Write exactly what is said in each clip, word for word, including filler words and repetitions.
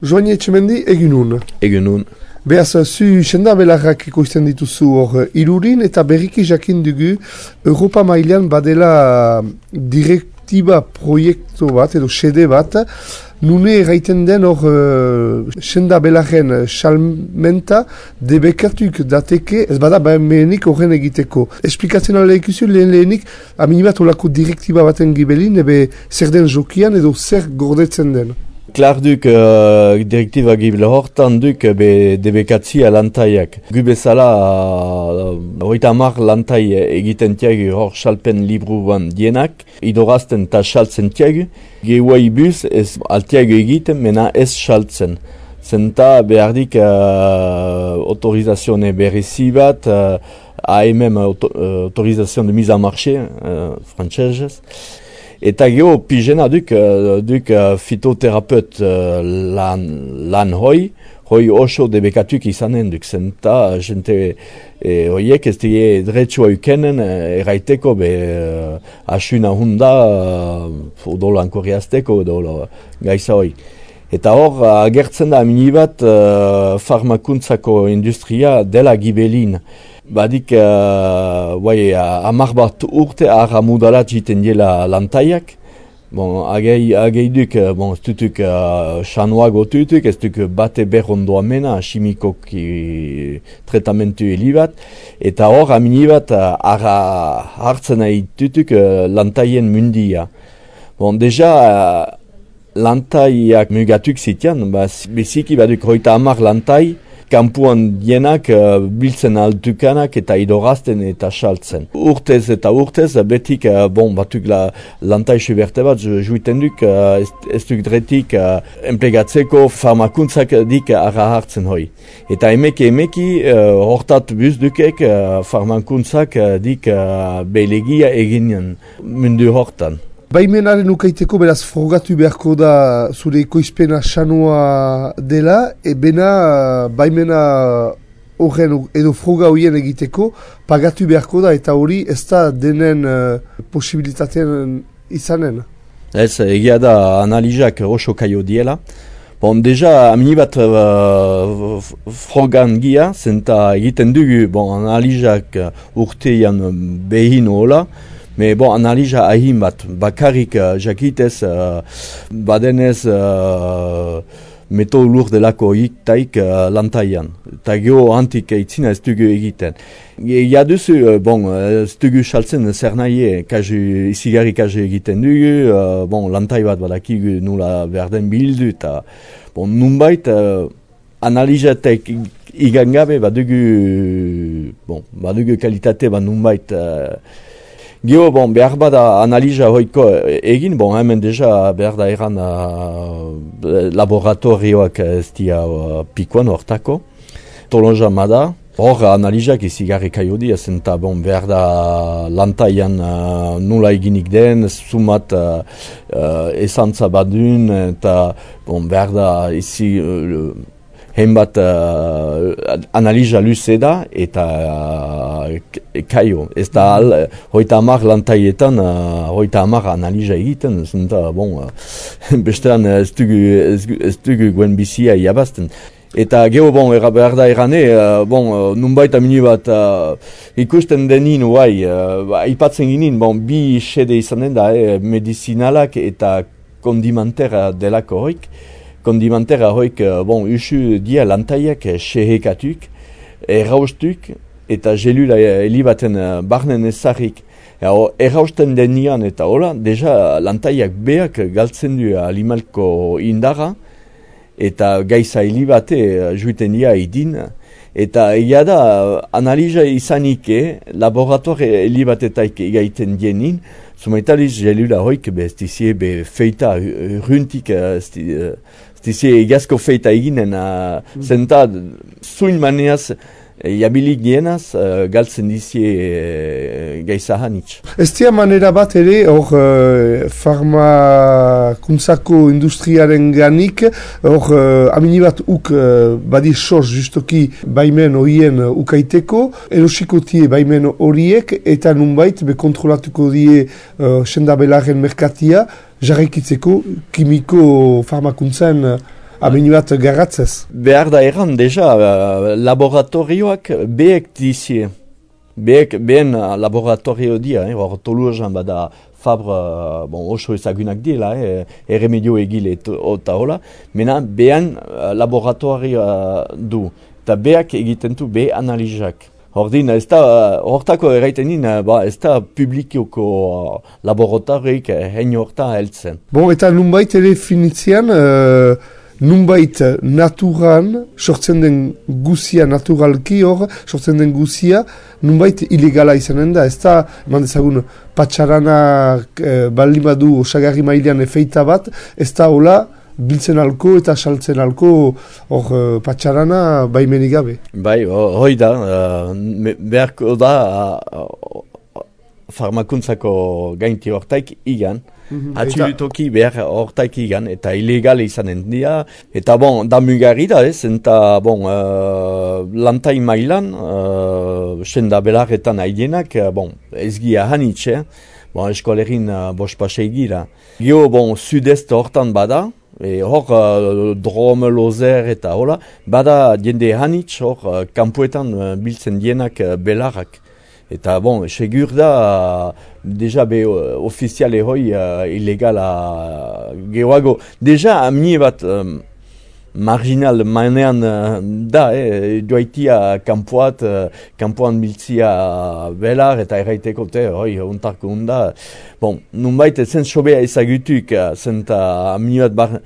Joani Etxemendi, egunun. Egunun. Beaz, zu senda belarrak ikoizten dituzu hor irurin eta berriki jakin dugu Europa mailan badela direktiba proiektu bat edo sede bat nune erraiten den hor uh, senda belarren salmenta debekatuk dateke ez bada behenik horren egiteko. Esplikatzen ala ikusi lehen lehenik aminibat olako direktiba baten gibelin ebe zer den jokian edo zer gordetzen den. Klar duk uh, direktiba gibel hortan duk be debekatzia lantaiak. Gu bezala hogeita hamar lantai egiten tiagu hor salpen libruan dienak, idorazten eta saltzen tiagu. Gehuai buz ez altiago egiten, mena ez saltzen. Zenta behardik uh, autorizazione berezi bat, uh, A M M auto, uh, autorisation de mise en marché, uh, frantsesez. Eta geho pijena duk, duk fitoterapeut lan, lan hoi, hoi oso debekatuk izanen duk zenta, jente e, hoiek ez die dretsua ukenen erraiteko be asuna hunda odolan korriazteko edo gaisa hoi. Eta hor agertzen da aminibat uh, farmakuntzako industria dela gibelin. Badik, uh, bai, hamar bat urte arra mudalat jiten diela lantaiak. Bon, agei, agei duk, bon, ez dutuk xanuago uh, tutuk, ez duk bate berrondo amena, chimikoki tratamentu helibat. Eta hor, aminibat, uh, arra hartzen nahi tutuk uh, lantaien mundia. Bon, deja, uh, lantaiak mugatuk zitian, ba, beziki baduk hoita hamar lantai, kampuan dienak uh, biltzen altukanak eta idorazten eta saltzen. Urtez eta urtez, betik, uh, bon, batuk la lantai suberte bat, juiten duk, uh, ez, ez duk dretik uh, emplegatzeko farmakuntzak dik arra hartzen hoi. Eta emeki emeki, uh, hortat buz dukek uh, farmakuntzak uh, dik uh, belegia eginen mundu hortan. Baimenaren ukaiteko beraz frogatu beharko da zure ekoizpena sanua dela, e bena baimena horren edo froga horien egiteko pagatu beharko da eta hori ez da denen uh, posibilitatean izanen. Ez, egia da analizak oso kaio diela. Bon, deja, amini bat uh, frogan gia, zenta egiten dugu bon, analizak urtean behin hola, me bon, analiza ahin bat, bakarrik uh, jakitez, uh, badenez uh, meto lur delako iktaik uh, lantaian. Eta geho antik eitzina ez dugu egiten. Ia duzu, uh, bon, ez dugu saltzen zer nahi, kazu, izigarri kazu egiten dugu, uh, bon, lantai bat badakigu nula berden bildu, eta bon, nunbait, uh, analizatek igangabe badugu, bon, badugu kalitate bat nunbait, uh, Gio, bon, behar bada analiza hoiko egin, bon, hemen deja behar da eran uh, laboratorioak ez dia uh, pikoan hortako. Tolonja mada, hor analizak izigarri kaio dia, zenta bon, behar da lantaian uh, nula eginik den, sumat uh, uh, esantza badun, eta bon, behar da izi... Uh, Henbat uh, analiza luze da eta uh, kaio. Ez da al, hoita hamar lantaietan, uh, hoita hamar analiza egiten, zenta, bon, uh, bestean ez dugu, ez, ez dugu guen bizia iabazten. Eta geho, bon, era, behar da erane, uh, bon, uh, nunbait amini bat uh, ikusten denin, uai, uh, ipatzen ginen, bon, bi sede izanen da, eh, medizinalak eta kondimantera delako hoik. Kondimantera hoik, bon, usu dia lantaiak sehekatuk, erraustuk, eta gelula helibaten barnen ezarrik. Errausten denian eta hola, deja lantaiak beak galtzen du alimalko indara, eta gaiza helibate juiten dia idin. Eta egia da, analiza izanike, laboratore helibatetaik egaiten dienin, zumaitaliz gelula hoik, be, ez dizie, be, feita, runtik, ez dizie, egazko feita eginen, uh, zenta, zuin maneaz, jabilik dienaz, uh, galtzen dizie uh, gaizahanitz. Ez dia manera bat ere, hor uh, farmakuntzako industriaren ganik, hor uh, amini bat uk uh, badi sos justoki baimen horien uh, ukaiteko, erosiko tie baimen horiek, eta nunbait be kontrolatuko die uh, senda belaren merkatia, jarraikitzeko kimiko farmakuntzan uh, amini bat garratzez. Behar da erran, deja, uh, laboratorioak beek dizie. Beek, behen laboratorio dia, eh, hor Tolosan bada Fabre, bon, oso ezagunak diela, eh, erremedio egile eta hola, mena behan uh, laboratorioa du, eta beak egiten du be analizak. Hordin, ez da, hortako erraiten din, ba, ez da publikioko uh, laboratorioik hein horta heltzen. Bon, eta nunbait ere finitzean, uh, nunbait naturan, sortzen den guzia naturalki hor, sortzen den guzia, nunbait ilegala izanen da. Ez da, eman dezagun, patxarana uh, baldin badu osagarri mailean efeita bat, ez da hola, biltzen alko eta saltzen alko hor uh, patxarana baimenik gabe. Bai, hoi da, uh, beharko da uh, farmakuntzako gainti hortaik igan, mm-hmm. Atxilutoki behar hortaik igan, eta ilegale izanen dira, eta bon, da mugarri da ez, eta bon, uh, lantai mailan, uh, senda belarretan haidienak, uh, bon, ez gira hanitxe, bon, eskolerin uh, bospasei gira. Gio, bon, sud-est hortan bada, E hor, uh, Drome, Lozer eta hola, bada jende hanitz hor, uh, kanpoetan uh, biltzen dienak uh, belarrak. Eta bon, segur da, uh, deja be uh, ofiziale hoi uh, ilegala uh, geroago. Deja amni bat um, marginal manean uh, da, eh, joaitia kanpoat, uh, kanpoan biltzia uh, belar eta erraiteko te, hoi, ontarko hunda. Bon, nunbait zen sobea ezagutuk, uh, zenta amni bat bar...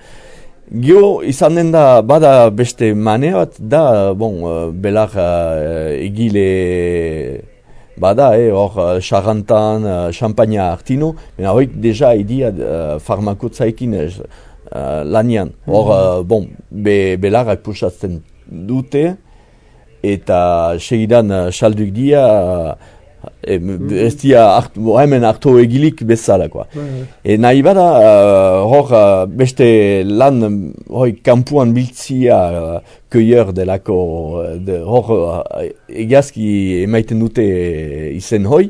Gio, izanen da, bada beste manea bat, da, bon, uh, belar uh, egile... Bada, eh, hor, Charantan, uh, Champagne Artino, mena hoik deja idia uh, farmakotzaikin uh, lanian. Hor, uh, bon, be, belarrak pusatzen dute, eta segidan uh, salduk dia, uh, e, ez dia hart, hemen hartu egilik bezalakoa. E nahi bada, uh, hor, uh, beste lan, hoi, kampuan biltzia uh, köier delako, de, hor, uh, egazki emaiten dute izen hoi,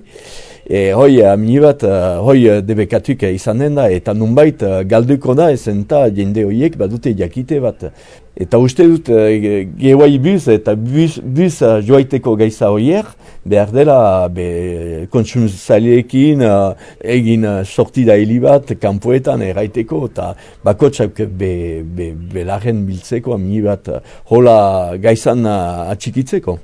e hoi amini bat, uh, hoi debekatuk izanen da, eta nunbait uh, galduko da, ezen eta jende hoiek badute jakite bat. Eta uste dut, uh, gehuai buz, eta buz, buz uh, joaiteko gaiza hoier, behar dela be, kontsumzaileekin uh, egin uh, sortida hili bat, kanpoetan erraiteko, eta bakotsak be, be, belarren biltzeko, amini bat, uh, hola gaizan uh, atxikitzeko.